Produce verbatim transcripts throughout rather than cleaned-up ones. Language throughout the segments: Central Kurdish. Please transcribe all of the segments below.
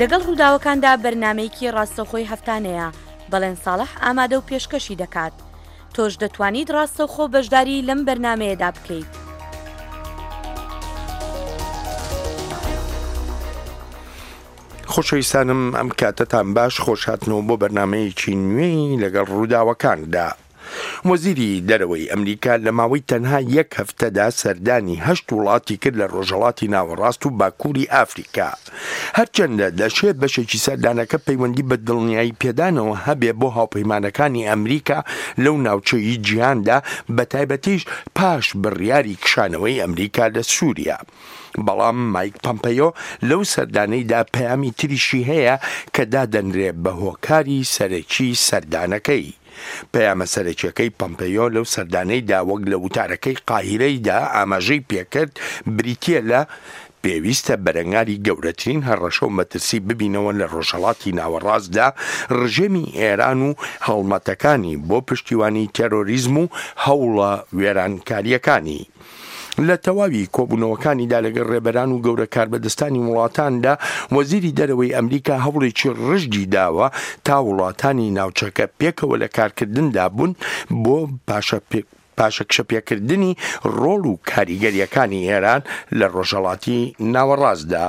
لەگەڵ ڕووداوەکاندا بەرنامەیەکی ڕاستەوخۆی هەفتانەیە، بەڵێن ساڵح ئامادە و پێشکەشی دەکات. تۆش دەتوانیت ڕاستەوخۆ بەشداری لەم بەرنامەیەدا بکەیت. خۆشەویستانم، ئەم کاتەتان باش، خۆشهاتنەوە بۆ بەرنامەیەکی نوێی لەگەڵ ڕووداوەکاندا. وەزیری دەرەوەی ئەمریکا لە ماوەی تەنها یەک هەفتەدا سەردانی هەشت وڵاتی کرد لە ڕۆژهەڵاتی ناوەڕاست و باکووری ئافریکا. هەرچەندە دەشێ بەشێکی سەردانەکە پەیوەندی بە دڵنیایی پێدانەوە هەبێ بۆ هاوپەیمانەکانی ئەمریکا لەو ناوچەی جیهاندا، بە تایبەتیش پاش بڕیاری کشانەوەی ئەمریکا لە سووریا. بەڵام مایک پەمپەیۆ لەو سەردانەیدا پەیامی تریشی هەیە کە دادەنرێ بە هۆکاری سەرەکی سەردانەکەی. پەیامە سەرەکیەکەی پەمپەیۆ لەو سەردانەیدا وەک لە وتارەکەی قاهیرەیدا ئاماژەی پێکرد بریتییە لە پێویستە بەرەنگاری گەورەترین هەڕەشە و مەترسی ببینەوە لە ڕۆژهەڵاتی ناوەڕاستدا، ڕژێمی ئێران و هەڵمەتەکانی بۆ پشتیوانی تێرۆریزم و هەوڵە وێرانکارییەکانی. لە تەواوی کۆبوونەوەکانیدا لەگەڵ ڕێبەران و گەورە کاربەدەستانی وڵاتاندا، وەزیری دەرەوەی ئەمریکا هەوڵێکی ڕژدی داوە تا وڵاتانی ناوچەکە پێکەوە لە کارکردندا بوون بۆ پاشەکشەپێکردنی ڕۆڵ و کاریگەریەکانی ئێران لە ڕۆژهەڵاتی ناوەڕاستدا.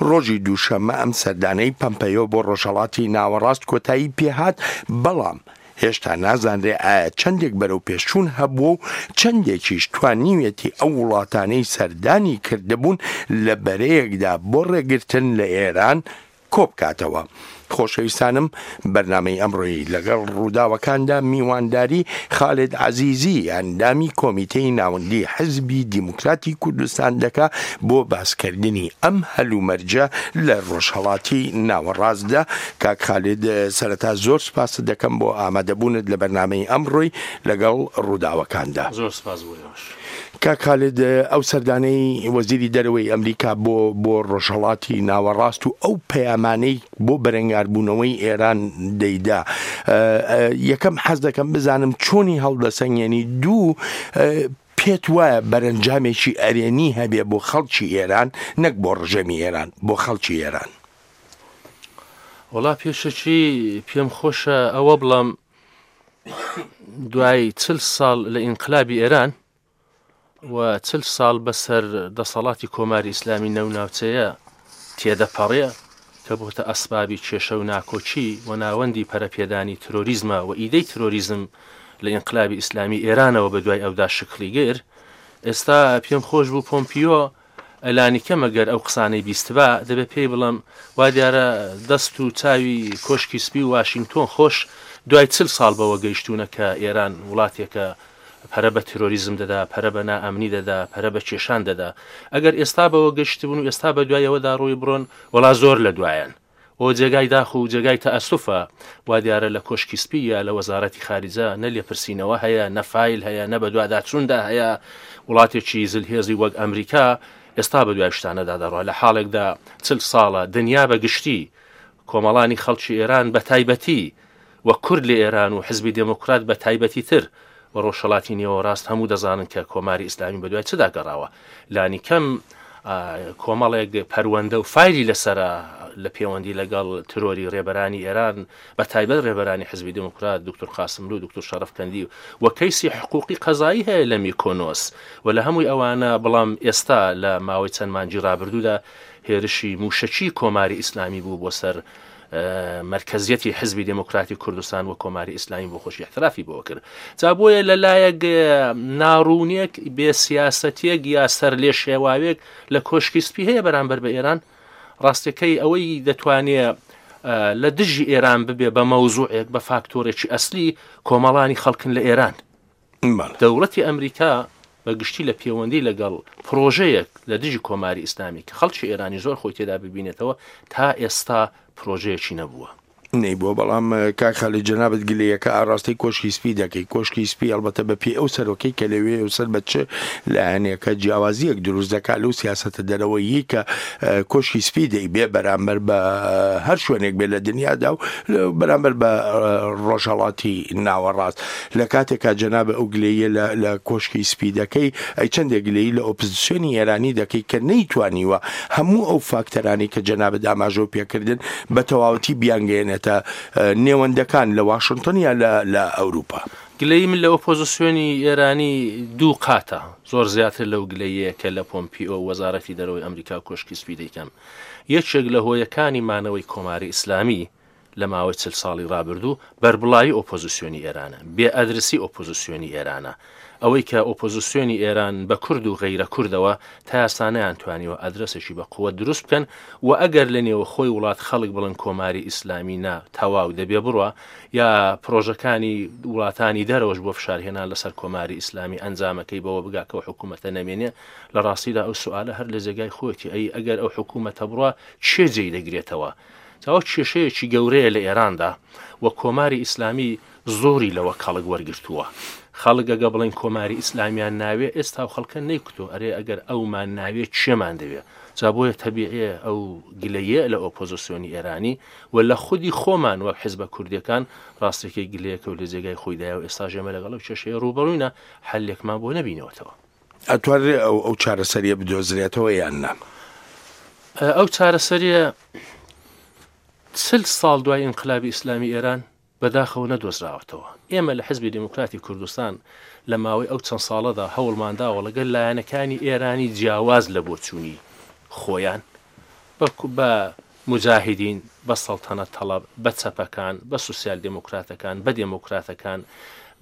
ڕۆژی دووشەممە ئەم سەردانەی پەمپەیۆ بۆ ڕۆژهەڵاتی ناوەڕاست کۆتایی پێهات، بەڵام هێشتا نازانرێ ئایا چەندێک بەرەو پێشچوون هەبووە و چەندێکیش توانیوێتی ئەو وڵاتانەی سەردانی کردبوون لە بەرەیەکدا بۆ ڕێگرتن لە ئێران کۆبکاتەوە. خۆشەویستانم، بەرنامەی ئەمڕۆی لەگەڵ ڕووداوەکاندا میوانداری خالد عەزیزی ئەندامی کۆمیتەی ناوەندی حزبی دیموکراتی کوردستان دەکا بۆ باسکردنی ئەم هەلومەرجە لە ڕۆژهەڵاتی ناوەڕاستدا. کاک خالد، سەرەتا زۆر سپاست دەکەم بۆ ئامادەبوونت لە بەرنامەی ئەمڕۆی لەگەڵ ڕووداوەکاندا. زۆر سپاس بۆ ئێوەش. کاک خالد، ئەو سەردانەی وەزیری دەرەوەی ئەمریکا بۆ بۆ ڕۆژهەڵاتی ناوەڕاست و ئەو پەیامانەی بۆ بەرەنگاربوونەوەی ئێران دەیدا، یەکەم حەز دەکەم بزانم چۆنی هەڵدەسەنگێنی، دوو پێت وایە بەرەنجامێکی ئەرێنی هەبێ بۆ خەڵکی ئێران، نەک بۆ ڕژێمی ئێران، بۆ خەڵکی ئێران؟ وەڵا پێشەکی پێم خۆشە ئەوە بڵام دوای چل ساڵ لە ئینقلابی ئێران و چل ساڵ بەسەر دەسەڵاتی کۆماری ئیسلامی نەو ناوچەیە تێدەپەڕێ کە بۆتە ئەسبابی کێشە و ناکۆکی و ناوەندی پەرەپێدانی ترۆریزمە و ئیدەی ترۆریزم لە ئینقلابی ئیسلامی ئێرانەوە بە دوای ئەودا شکڵی گر. ئێستا پێم خۆش بوو پۆمپیۆ لانی کەم ئەگەر ئەو قسانەی بیستبا دەبێت پێی بڵم وا دیارە دەست و چاوی کۆشکی سپی و واشنگتۆن خۆش دوای چل ساڵ بەوە گەیشتوونە کە ئێران وڵاتێکە پەرە بە ترۆریزم دەدا، پەرە بە نائەمنی دەدا، پەرە بە کێشان دەدا. ئەگەر ئێستا بەوە گەشتبوون و ئێستا بە دوایەوەدا ڕۆی بڕۆن، وەڵا زۆر لە دوایەن. ئەو جێگای داخ و جێگای تەئەسوفە وا دیارە لە کۆشکی سپی یا لە وەزارەتی خارجە نە لێپرسینەوە هەیە، نە فایل هەیە، نە بەدواداچووندا هەیە. وڵاتێکی زلهێزی وەک ئەمریکا ئێستا بە دوای شتانەدا دەڕوا، لە حاڵێکدا چل ساڵە دنیا بە گشتی کۆمەڵانی خەڵکی ئێران بە تایبەتی و کورد لە ئێران و حزبی دێموکرات بە تایبەتی تر و ڕۆژهەڵاتی نێوەڕاست هەموو دەزانن کە کۆماری ئیسلامی بەدوای چدا گەڕاوە. لانی کەم کۆمەڵێک پەروەندە و فایلی لەسەرە لە پەیوەندی لەگەڵ ترۆری ڕێبەرانی ئێران، بە تایبەت ڕێبەرانی حزبی دێموکرات، دکتۆر قاسملو، دکتۆر شەرەفکەندی و کەیسی حقوقی قەزایی هەیە لە میکۆنۆس و لە هەمووی ئەوانە. بەڵام ئێستا لە ماوەی چەند مانگی ڕابردوودا هێرشی موشەکی کۆماری ئیسلامی بوو بۆ سەر مەرکەزیەتی حزبی دێموکراتی کوردستان و کۆماری ئیسلامی بۆ خۆشی احترافی بۆ کرد. جا بۆیە لەلایەک ناڕوونێک، بێ سیاسەتێک یا سەر لێ شێواوێک لە کۆشکی سپی هەیە بەرامبەر بە ئێران. ڕاستەکەی ئەوەی دەتوانێت لە دژی ئێران ببێ بە مەوزوعێک، بە فاکتۆرێکی ئەسلی کۆمەڵانی خەڵکن لە ئێران. دەوڵەتی ئەمریکا بە گشتی لە پەیوەندی لەگەڵ پرۆژەیەک لە دژی کۆماری ئیسلامی کە خەڵکی ئێرانی زۆر خۆی تێدا ببینێتەوە تا ئێستا پرۆژەیەکی نەبووە. نەیبووە. بەڵام کاک خالید جەنابت گلەیەکە ئاڕاستەی کۆشکی سپی دەکەی، کۆشکی سپی ئەڵبەتە بە پێی ئەو سەرۆکەی کە لەوێ و سەر بە چ لایەنێکە جیاوازیەک دروست دەکات لەو سیاسەتە دەرەوەیی کە کۆشکی سپی دەیبێ بەرامبەر بە هەر شوێنێک بێ لە دنیادا و بەرامبەر بە ڕۆژهەڵاتی ناوەڕاست. لە کاتێکا جەناب ئەو گلەیە لە کۆشکی سپی دەکەی، ئەی چەندێک گلەیی لە ئۆپۆزیسیۆنی ئێرانی دەکەی کە نەیتوانیوە هەموو ئەو فاکتەرانی کە جەنابت ئاماژەو پێکردن بە تەواوەتی بیانگەیەنێتە نێوەندەکان لە واشنگتن یا لە ئەوروپا؟ گلەیی من لە ئۆپۆزیسیۆنی ئێرانی دوو قاتە، زۆر زیاتر لەو گلەیەیە کە لە پۆمپیۆ وەزارەتی دەرەوەی ئەمریکا و کۆشکی سپی دەیکەم. یەکێک لە هۆیەکانی مانەوەی کۆماری ئیسلامی لە ماوەی چل ساڵی ڕابردوو بەربڵاوی ئۆپۆزیسیۆنی ئێرانە، بێ ئەدرسی ئۆپۆزیسیۆنی ئێرانە. ئەوەی کە ئۆپۆزیسیۆنی ئێران بە کورد و غەیرە کوردەوە تا ئێستا نەیانتوانیوە ئەدرەسێکی بە قووەت دروست بکەن و ئەگەر لە نێوەخۆی وڵات خەڵک بڵێن کۆماری ئیسلامی نا تەواو دەبێ بڕوا، یا پرۆژەکانی وڵاتانی دەرەوەش بۆ فشارهێنان لەسەر کۆماری ئیسلامی ئەنجامەکەی بەوە بگا کە ئەو حکوومەتە نەمێنێ، لە ڕاستیدا ئەو سوالە هەر لە جێگای خۆیەتی، ئەی ئەگەر ئەو حکوومەتە بڕوا چێ جێی دەگرێتەوە؟ ئەوە کێشەیەکی گەورەیە لە ئێراندا و کۆماری ئیسلامی زۆری لەوە کەڵک وەرگرتووە. خەڵک ئەگە بڵێن کۆماری ئیسلامیان ناوێ، ئێستا و خەڵکە نەیکوتۆ، ئەرێ ئەگەر ئەومان ناوێ چێمان دەوێ؟ جا بۆیە تەبیعیە ئەو گلەیە لە ئۆپۆزیسیۆنی ئێرانی و لە خودی خۆمان وەک حیزبە کوردیەکان ڕاستێکی گلەیەکە و لە جێگای خۆیدایە و ئێستا ژێمە لەگەڵ ئەو کێشەیە ڕووبەڕووینە، حەلێکمان بۆ نەبینەوەتەوە. ئەتوانرێ ئەو ئەو چارەسەریە بدۆزرێتەوە یان نا؟ ئەو چارەسەریە چل ساڵ دوای ئینقلابی ئیسلامی ئێران بەداخەوە نەدۆزراوەتەوە. ئێمە لە حزبی دێموکراتی کوردستان لە ماوەی ئەو چەند ساڵەدا هەوڵمانداوە لەگەڵ لایەنەکانی ئێرانی جیاواز لە بۆچوونی خۆیان بە مجاهدین، بە سەڵتەنەت تەڵەب، بە چەپەکان، بە سوسیال دێموکراتەکان، بە دێموکراتەکان،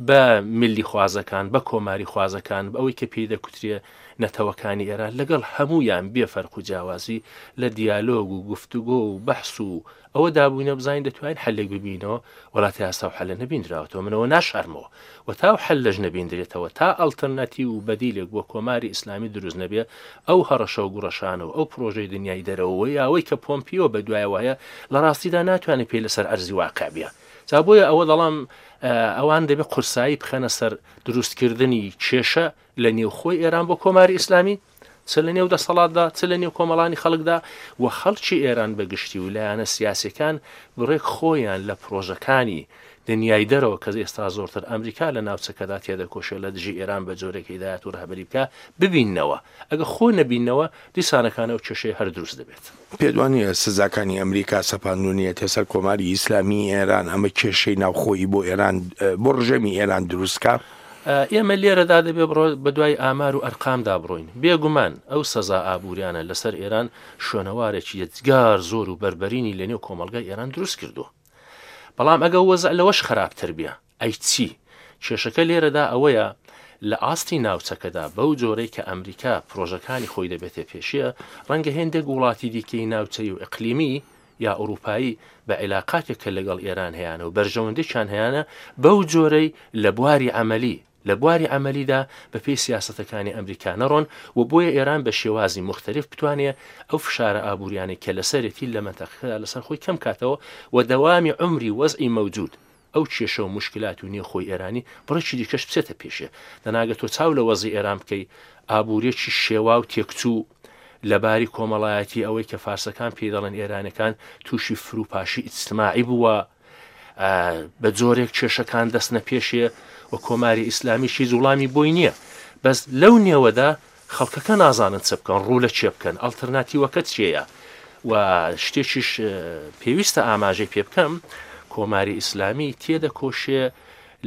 بە ملی خوازەکان، بە کۆماری خوازەکان، بە ئەوەی کە پێی دەکوترێ نەتەوەکانی ئێران، لەگەڵ هەمویان بێ فەرق و جیاوازی لە دیالۆگ و گفتوگۆ و بەحس و ئەوە دابووینە بزانین دەتوانین حەلێک ببینەوە، وڵاتی ئاستا و حەلە نەبیندراوەتەوە. منەوە ناشارمەوە و تا و حەل لەش نەبیندرێتەوە، تا ئەڵتەرناتیو و بەدیلێک بۆ کۆماری ئیسلامی دروست نەبێ، ئەو هەڕەشە و گوڕەشانە و ئەو پرۆژەی دنیای دەرەوە یاوەی کە پۆمپیۆ بەدوایەوە هەیە لە ڕاستیدا ناتوانێت پێی لەسەر ئەرزی واقع بێ. جا بۆیە ئەوە دەڵام ئەوان دەبێت قورسایی بخەنە سەر دروستکردنی کێشە لە نێوخۆی ئێران بۆ کۆماری ئیسلامی، چ لە نێو دەسەڵاتدا چ لە نێو کۆمەڵانی خەڵکدا و خەڵکی ئێران بەگشتی و لایەنە سیاسیەکان بڕێک خۆیان لە پرۆژەکانی دنیای دەرەوە کە ئێستا زۆرتر ئەمریکا لە ناوچەکەدا تێدەکۆشێت لە دژی ئێران بە جۆرێک هیدایەت و ڕەهبەری بکە ببیننەوە. ئەگە خۆ نەبینەوە دیسانەکانە و کێشەی هەر دروست دەبێت. پێدوانیە سزاکانی ئەمریکا سەپاندونیەتە سەر کۆماری ئیسلامی ئێران ئەمە کێشەی ناوخۆیی بۆ ئێران بۆ ڕژێمی ئێران دروستکا؟ ئێمە لێرەدا دەبێ بڕۆ بە دوای ئامار و ئەرقامدا بڕۆین. بێگومان ئەو سەزا ئابووریانە لەسەر ئێران شوێنەوارێکی یەجگار زۆر و بەربەرینی لەنێو کۆمەڵگای ئێران دروست کردووە. بەڵام ئەگە وەزع لەوەش خراپتر بێ ئەی چی؟ کێشەکە لێرەدا ئەوەیە لە ئاستی ناوچەکەدا بەو جۆرەی کە ئەمریکا پرۆژەکانی خۆی دەبێتە پێشیە، ڕەنگە هێندێک وڵاتی دیکەی ناوچەی و ئیقلیمی یا ئەوروپایی بە عیلاقاتێک کە لەگەڵ ئێران هەیانە و بەرژەوەندێکیان هەیانە بەو جۆرەی لە بواری عەمەلی لە بواری عەمەلیدا بە پێی سیاسەتەکانی ئەمریکا نەڕۆن و بۆیە ئێران بە شێوازی مختلف بتوانێت ئەو فشارە ئابووریانەی کە لەسەرێتی لە مەنتەقەکەدا لەسەر خۆی کەم کاتەوە و دەوامی عومری وەزعی مەوجود ئەو کێشە و مشکلات و نێوخۆی ئێرانی بڕێکی دیکەش بچێتە پێشێ. دەناگە تۆ چاو لە وەزعی ئێران بکەی، ئابووریەکی شێوا و تێکچوو لەباری کۆمەڵایەتی ئەوەی کە فارسەکان پێی دەڵێن ئێرانەکان تووشی فروپاشی ئیجتماعی بووە، بە جۆرێک کێشەکان دەستنە پێشێ و کۆماری ئیسلامی هیچ وڵامی بۆی نییە. بەس لەو نێوەدا خەڵکەکە نازانن چ بکەن، ڕوو لە چێ بکەن، ئەڵتەرناتیوەکە چێیە. و شتێکیش پێویستە ئاماژەی پێ بکەم، کۆماری ئیسلامی تێدەکۆشێ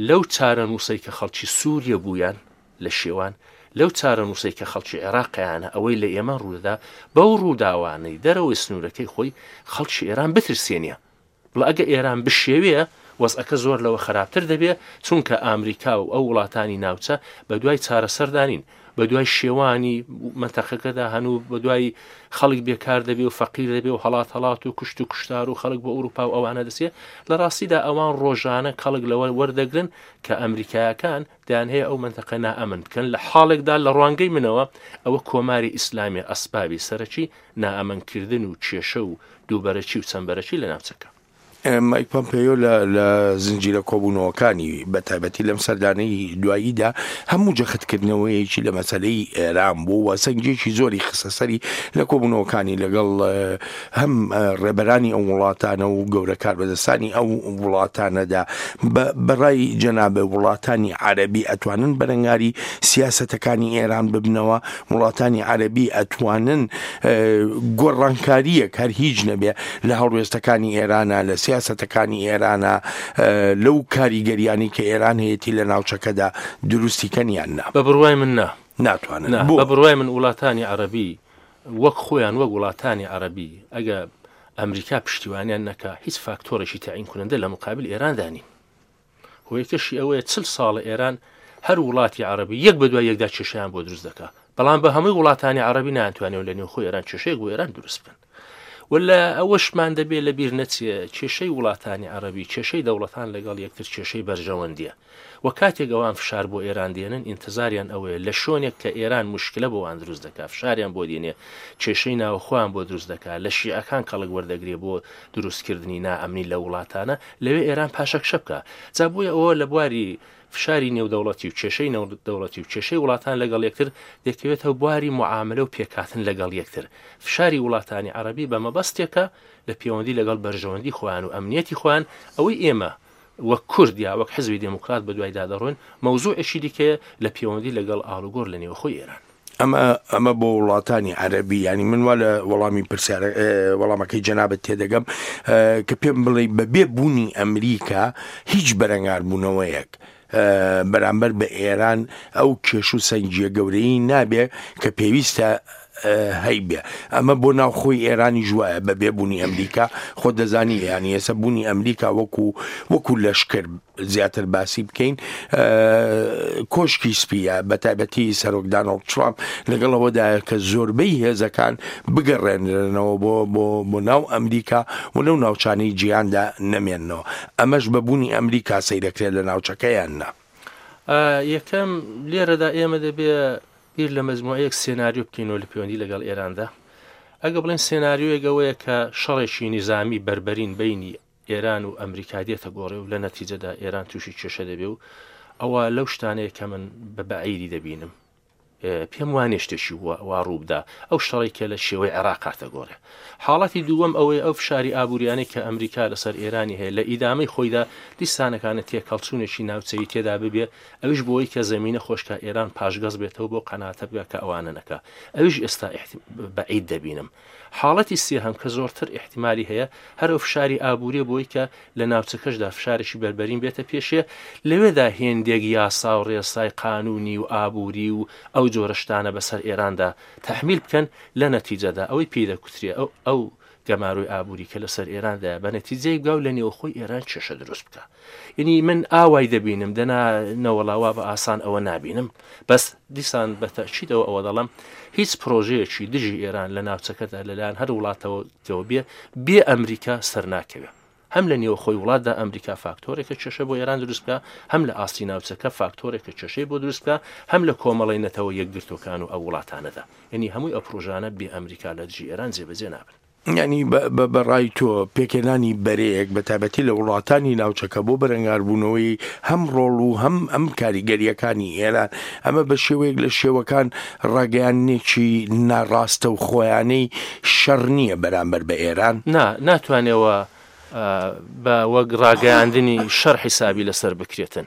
لەو چارەنووسەی کە خەڵکی سووریە بوویان لە شێوان، لەو چارەنووسەی کە خەڵکی عێراقیانە ئەوەی لە ئێمە ڕوودەدا، بەو ڕووداوانەی دەرەوەی سنوورەکەی خۆی خەڵکی ئێران بترسێنیە. بڵێ ئەگە ئێران بشێوێ وەزعەکە زۆر لەوە خراپتر دەبێت، چونکە ئەمریکا و ئەو وڵاتانی ناوچە بە دوای چارەسەردانین، بە دوای شێوانی مەنتەقەکەدا هەن و بە دوای خەڵک بێکار دەبێ و فەقیر دەبێ و هەڵات هەڵات و کوشت و کوشتار و خەڵک بۆ ئەوروپا و ئەوانە دەچێت. لە ڕاستیدا ئەوان ڕۆژانە کەڵک لەوە وەردەگرن کە ئەمریکایەکان دەیان هەیە ئەو مەنتەقە نائەمن بکەن. لە حاڵێکدا لە ڕوانگەی منەوە ئەوە کۆماری ئیسلامی ئەسبابی سەرەکی نائەمنکردن و کێشە و دووبەرەکی و چەندبەرەکی لە ناوچەکە. مایک پۆمپێیۆ لە لە زنجیرە کۆبوونەوەکانی بە تایبەتی لەم سەردانەی دواییدا هەموو جەختکردنەوەیەکی لە مەسەلەی ئێران بوو و سەنگێکی زۆری خستە سەری لە کۆبوونەوەکانی لەگەڵ هەم ڕێبەرانی ئەو وڵاتانە و گەورە کاربەدەستانی ئەو وڵاتانەدا. بەڕای جەنابە وڵاتانی عەرەبی ئەتوانن بەرەنگاری سیاسەتەکانی ئێران ببنەوە؟ وڵاتانی عەرەبی ئەتوانن گۆڕانکاریەک هەر هیچ نەبێ لە هەڵوێستەکانی ئێرانە، لە سیاسەتەکانی ئێرانە، لەو کاریگەریانی کە ئێران هەیەی لە ناوچەکەدا دروستی کەن یان نا؟ بە بڕوای من نا، ناتوانن. بە بڕوای من وڵاتانی عەرەبی وەک خۆیان وەک وڵاتانی عەرەبی ئەگە ئەمریکا پشتیوانیان نەکا هیچ فاکتۆرێکی تەعین کنندە لە مقابل ئێراندا نین. هۆیەکەشی ئەوەیە چل ساڵە ئێران هەر وڵاتی عەرەبی یەک بە دوای یەکدا کێشەیان بۆ دروست دەکا، بەڵام بە هەمووی وڵاتانی عەرەبی ناتوانێت لە نێوخۆی ئێران کێشەیەک بۆ ئێران دروست بکەن. ولا ئەوەشمان دەبێت لە بیر نەچێ کێشەی وڵاتانی عەرەبی کێشەی دەوڵەتان لەگەڵ یەکتر کێشەی بەرژەوەندیە و کاتێک ئەوان فشار بۆ ئێران دێنن ئینتظاریان ئەوەیە لە شوێنێک کە ئێران مشکلە بۆ وان دروست دەکات، فشاریان بۆ دێنێ، کێشەی ناوخۆیان بۆ دروست دەکات، لە شیعەکان کەڵک وەردەگرێ بۆ دروستکردنی نائەمنی لە وڵاتانە، لەوێ ئێران پاشەکشە بکە. جا بۆیە ئەوە لە بواری فشاری نێودەوڵەتی و کێشەی نێودەوڵەتی و کێشەی وڵاتان لەگەڵ یەکتر دەکەوێتەوە بواری معاملە و پێکهاتن لەگەڵ یەکتر. فشاری وڵاتانی عەرەبی بە مەبەستێکە لە پەیوەندی لەگەڵ بەرژەوەندی خۆیان و ئەمنیەتی خۆیان. ئەوەی ئێمە وەک کورد یا وەک حزبی دێموکرات بە دوایدا دەڕۆین مەوزوعێکی دیکەیە لە پەیوەندی لەگەڵ ئاڵوگۆڕ لە نێوخۆی ئێران. ئەمە ئەمە بۆ وڵاتانی عەرەبی، ینی من وا لە وەڵامی پرسیار وەڵامەکەی جەنابەت تێدەگەم کە پێم بڵێ بەبێ بوونی ئەمریکا هیچ بەرەنگاربوونەوەیەک بەرامبەر بە ئێران ئەو کێش و سەنگیە گەورەی نابێ کە پێویستە هەیبێ. ئەمە بۆ ناوخۆی ئێرانی ژوایە بە بێبوونی ئەمریکا. خۆ دەزانی ینی ئێستا بوونی ئەمریکا وەکو وەکو لەشکر زیاتر باسی بکەین، کۆشکی سپیە بە تایبەتی سەرۆک دانۆڵد ترامپ لەگەڵ ئەوەدایە کە زۆربەی هێزەکان بگەڕێنرێنەوە بۆ بۆ بۆ ناو ئەمریکا و لەو ناوچانەی جیهاندا نەمێننەوە. ئەمەش بە بوونی ئەمریکا سەیرەکرێت لە ناوچەکەیان نا. یەکەم لێرەدا ئێمە دەبێ بیر لە مەجموعەیەک سێناریۆ بکەینەوە لە پەیوەندی لەگەڵ ئێراندا. ئەگە بڵێن سێناریۆیەک ئەوەیە کە شەڕێکی نیزامی بەربەرین بینی ئێران و ئەمریکا دێتە گۆڕێ و لە نەتیجەدا ئێران تووشی کێشە دەبێ و ئەوە لەو شتانەیە کە من بە بەعیدی دەبینم، پێم وانێ شتێکی وا ڕووبدا ئەو شەڕێک کە لە شێوەی عێراق هاتە گۆڕێ. حاڵەتی دووەم ئەوەیە ئەو فشاری ئابووریانەی کە ئەمریکا لەسەر ئێرانی هەیە لە ئیدامەی خۆیدا دیسانەکانە تێکەڵچوونێکی ناوچەیی تێدا ببێ، ئەویش بۆی کە زەمینە خۆشکە ئێران پاشگەز بێتەوە بۆ قەناتە بگا کە ئەوانە نەکا، ئەویش ئێستا بەعید دەبینم. حاڵەتی سێهەم کە زۆرتر احتیمالی هەیە هەر ئەو فشاری ئابووریە بۆی کە لە ناوچەکەشدا فشارێکی بەربەرین بێتە پێشێ، لەوێدا هێندێک یاسا و ڕێسای قانونی و ئابووری و ئەو جۆرە شتانە بەسەر ئێراندا تەحمیل بکەن. لە نەتیجەدا ئەوەی پێی دەکوترێ ئەو ئەو گەمارۆی ئابووری کە لەسەر ئێراندا بە نەتیجەی بگا و لە نێوخۆی ئێران کێشە دروست بکە. یعنی من ئاوای دەبینم، دەنا نەوەڵاوا بە ئاسان ئەوە نابینم. بەس دیسان بە تەئکیدەوە ئەوە دەڵێم هیچ پرۆژەیەکی دژی ئێران لە ناوچەکەدا لەلایەن هەر وڵاتەوە بێ بێ ئەمریکا سەر ناکەوێ. هەم لە نێوخۆی وڵاتدا ئەمریکا فاکتۆرێکە کێشە بۆ ئێران دروست بکە، هەم لە ئاستی ناوچەکە فاکتۆرێکە کێشەی بۆ دروست بکە، هەم لە کۆمەڵی نەتەوە یەکگرتوەکان و ئەو وڵاتانەدا. یعنی هەمووی ئەو پرۆژانە بێ ئەمریکا لە دژی ئێران جێبەجێ نابن. یعنی بەڕای تۆ پێکهێنانی بەرەیەک بە تایبەتی لە وڵاتانی ناوچەکە بۆ بەرەنگاربوونەوەی هەم ڕۆڵ و هەم ئەم کاریگەریەکانی ئێران، ئەمە بە شێوەیەک لە شێوەکان ڕاگەیاندنێکی ناڕاستە و خۆیانەی شەڕ نییە بەرامبەر بە ئێران؟ نا، ناتوانێەوە بە وەک ڕاگەیاندنی شەڕ حیسابی لەسەر بکرێتن،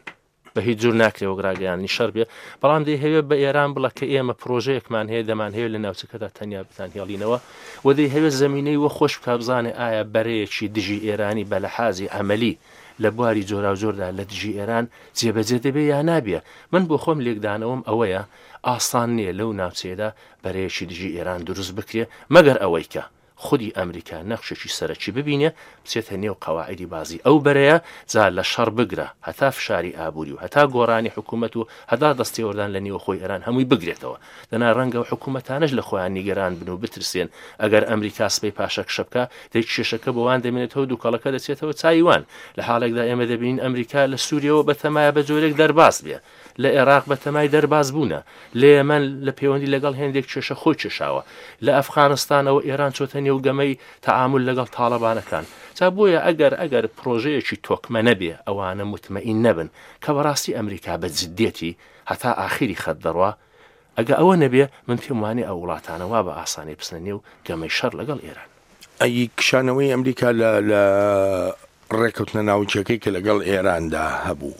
بە هیچ جور ناکرێ وەک ڕاگەیاندنی شەڕ بێ. بەڵام دەیهەوێت بە ئێران بڵە کە ئێمە پرۆژەیەکمان هەیە دەمانهەوێت لە ناوچەکەدا تەنیا بتانهێڵینەوە و دەیهەوێت زەمینەی وە خۆش بکا بزانێ ئایا بەرەیەکی دژی ئێرانی بە لەحازی عەمەلی لە بواری جۆراوجۆردا لە دژی ئێران جێبەجێ دەبێ یا نابێ. من بۆ خۆم لێکدانەوەم ئەوەیە ئاسان نییە لەو ناوچەیەدا بەرەیەکی دژی ئێران دروست بکرێ مەگەر ئەوەی کە خودی ئەمریکا نەخشێکی سەرەکی ببینێ بچێتە نێو قەواعدی بازی ئەو بەرەیە، جا لە شەڕ بگرە هەتا فشاری ئابووری و هەتا گۆڕانی حکوومەت و هەتا دەستێوەردان لە نێوخۆی ئێران هەمووی بگرێتەوە. دەنا ڕەنگە و حکوومەتانش لە خۆیان نیگەران بن و بترسێن ئەگەر ئەمریکا سبەی پاشەکشە بکا دەی کێشەکە بۆوان دەمێنێتەوە، دووکەڵەکە دەچێتەوە چایوان. لە حاڵێکدا ئێمە دەبینین ئەمریکا لە سووریەوە بەتەمایە بە جۆرێک دەرباز بێ. لە عێراق بەتەمای دەرباز بوونە، لە یەمەن لە پەیوەندی لەگەڵ هێندێک کێشە خۆی کێشاوە، لە ئەفغانستانەوە ئێران چۆتە نێو گەمەی تەعامل لەگەڵ تاڵەبانەکان. جا بۆیە ئەگەر ئەگەر پرۆژەیەکی تۆکمە نەبێ، ئەوانە متمەئین نەبن کە بەڕاستی ئەمریکا بە جدیەتی هەتا ئاخیری خەت دەڕوا، ئەگە ئەوە نەبێ من پێم وانێ ئەو وڵاتانە وا بە ئاسانی بچنە نێو گەمەی شەڕ لەگەڵ ئێران. ئەی کشانەوەی ئەمریکا لە لە ڕێککەوتنە ناوچەکەی کە لەگەڵ ئێراندا هەبوو،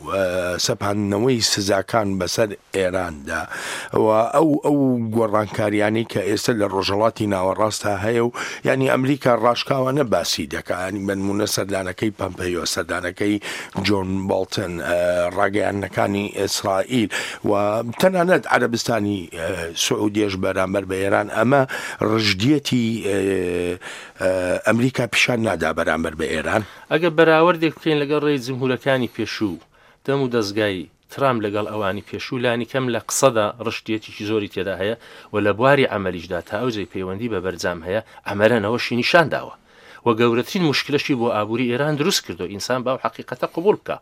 سەپاندنەوەی سزاکان بەسەر ئێراندا و ئەو ئەو گۆڕانکاریانەی کە ئێستا لە ڕۆژهەڵاتی ناوەڕاستدا هەیە و یعنی ئەمریکا ڕاشکاوانە باسی دەکا، ینی بەنمونە سەردانەکەی پەمپەیۆ، سەردانەکەی جۆن باڵتن، ڕاگەیاندنەکانی ئیسرائیل و تەنانەت عەرەبستانی سعودیەش بەرامبەر بە ئێران، ئەمە ڕژدیەتی ئەمریکا پیشان نادا بەرامبەر بە ئێران. ئەگەر بەراوردێک بکەین لەگەڵ ڕێی جمهورەکانی پێشوو، دەم و دەستگای ترامپ لەگەڵ ئەوانی پێشوو لانی کەم لە قسەدا ڕشتیەتێکی زۆری تێدا هەیە و لە بواری عەمەلیشدا تا ئەو جێی پەیوەندی بە بەرجام هەیە عەمەلەنەوەشی نیشان داوە و گەورەترین مشکلەشی بۆ ئابووری ئێران دروست کردو ئینسان باو حەقیقەتە قبوڵ بکە.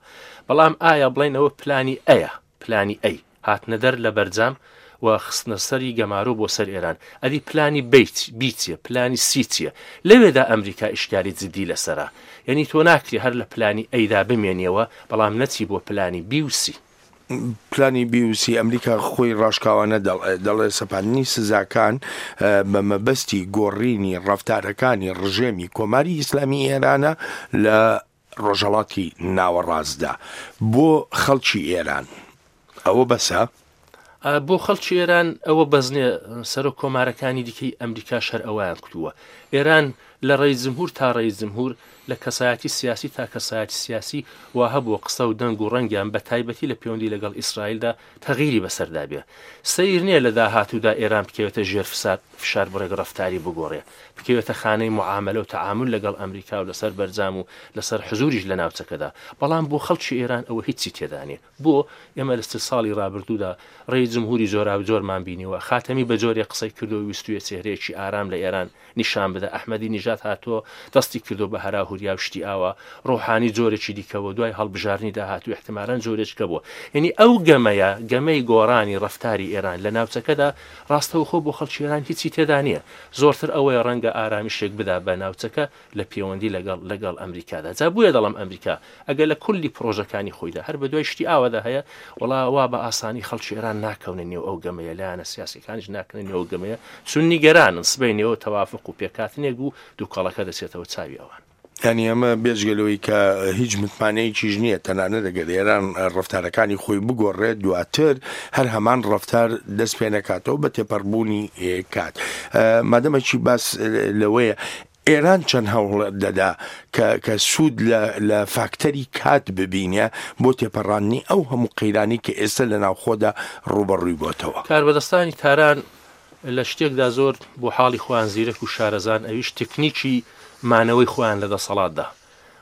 بەڵام ئایا بڵێنەوە پلانی ئەیە، پلانی ئەی هاتنە دەر لە بەرجام و خستنە سەری گەمارۆ بۆ سەر ئێران، ئەدی پلانی بی چییە، پلانی سی چییە؟ لەوێدا ئەمریکا ئیشکالی جدی لەسەرە، یعنی تۆ ناکری هەر لە پلانی ئەیدا بمێنیەوە بەڵام نەچی بۆ پلانی بی و سی. پلانی بی و سی ئەمریکا خۆی ڕاشکاوانە دەڵێ سەپاندنی سزاکان بە مەبەستی گۆڕینی ڕەفتارەکانی ڕژێمی کۆماری ئیسلامی ئێرانە لە ڕۆژهەڵاتی ناوەڕاستدا بۆ خەڵکی ئێران. ئەوە بەسە؟ بۆ خەڵکی ئێران ئەوە بەزنێ، سەرۆک کۆمارەکانی دیکەی ئەمریکا شەر ئەویان کردووە. ئێران لە ڕێی جمهور تا ڕێی جمهور، لە کەسایەتی سیاسی تا کەسایەتی سیاسی وا هەبووە قسە و دەنگ و ڕەنگیان بە تایبەتی لە پەیوەندی لەگەڵ ئیسرائیلدا تەغیری بەسەردا بێ. سەیر نییە لە داهاتوودا ئێران بکەوێتە ژێر فشار بڕێک ڕەفتاری بگۆڕێ، بکەوێتە خانەی معاملە و تەعامل لەگەڵ ئەمریکا و لەسەر بەرجام و لەسەر حزوریش لە ناوچەکەدا. بەڵام بۆ خەڵکی ئێران ئەوە هیچی تێدا نییە. بۆ ئێمە لە سێ ساڵی ڕابردوودا ڕێی جمهوری جۆراوجۆرمان بینیوە، خاتەمی بە جۆرێ قسەی کردو ویستویە چێهرەیەکی ئارام لە ئێران نیشان بدە، ئەحمەدی نژاد هاتووە دەستی کردو بە هەرا هوریا و شتی ئاوا، ڕۆحانی جۆرێکی دیکەوە دوای هەڵبژاردنی داهاتوو احتمالاً جۆرێکە بووە. یعنی ئەو گەمەیە، گەمەی گۆڕانی ڕەفتاری ئێران لە ناوچەکەدا ڕاستەوخۆ بۆ خەڵکی ئێران هیچی تێدا نییە. زۆرتر ئەوەیە ڕەنگە ئارامیشێک بدا بە ناوچەکە لە پەیوەندی لەگەڵ لەگەڵ ئەمریکادا. جا بۆیە دەڵێم ئەمریکا ئەگەر لە کولی پرۆژەکانی خۆیدا هەر بە دوای شتی ئاوادا هەیە، وەڵا وا بە ئاسانی خەڵکی ئێران ناکەونە نێو ئەو گەمەیە، لایەنە سیاسیەکانیش ناکەونە نێو ئەو گەمەیە، چون نیگەرانن سبەی نێوە تەوافق و پێکهاتنێک بوو دووکەڵەکە دەچێتەوە چاوی ئەوان. یعنی ئەمە بێجگە لەوەی کە هیچ متمانەیەکیش نییە، تەنانەت ئەگەر ئێران ڕەفتارەکانی خۆی بگۆڕێت دواتر هەر هەمان ڕەفتار دەست پێ نەکاتەوە بە تێپەڕبوونی کات. مادەمەکی باس لەوەیە ئێران چەند هەوڵ دەدا کە سوود لە فاکتەری کات ببینێ بۆ تێپەڕاندنی ئەو هەموو قەیرانی کە ئێستا لە ناوخۆدا ڕووبەڕووی بۆتەوە. کاربەدەستانی تاران لە شتێکدا زۆر بۆ حاڵی خۆیان زیرەک و شارەزان، ئەویش تەکنیکی مانەوەی خۆیان لە دەسەڵاتدا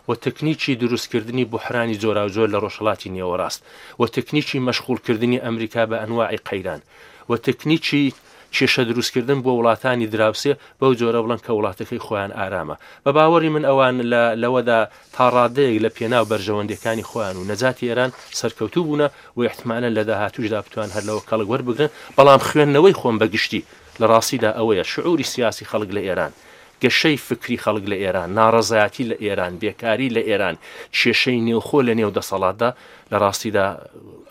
و تەکنیکی دروستکردنی بوحرانی جۆراوجۆر لە ڕۆژهەڵاتی نێوەڕاست و تەکنیکی مەشغوڵکردنی ئەمریکا بە ئەنواعی قەیران و تەکنیکی کێشە دروستکردن بۆ وڵاتانی دراوسێ بەو جۆرە بڵێن کە وڵاتەکەی خۆیان ئارامە. بە باوەڕی من ئەوان لەوەدا تا ڕادەیەک لە پێناو بەرژەوەندیەکانی خۆیان و نەجاتی ئێران سەرکەوتوو بوونە و احتمالاً لە داهاتووشدا بتوان هەر لەوە کەڵک وەربگرن. بەڵام خوێندنەوەی خۆم بەگشتی لە ڕاستیدا ئەوەیە شعوری سیاسی خەڵک لە ئێران، گەشەی فکری خەڵک لە ئێران، ناڕەزایەتی لە ئێران، بێکاری لە ئێران، کێشەی نێوخۆ لە نێو دەسەڵاتدا لە ڕاستیدا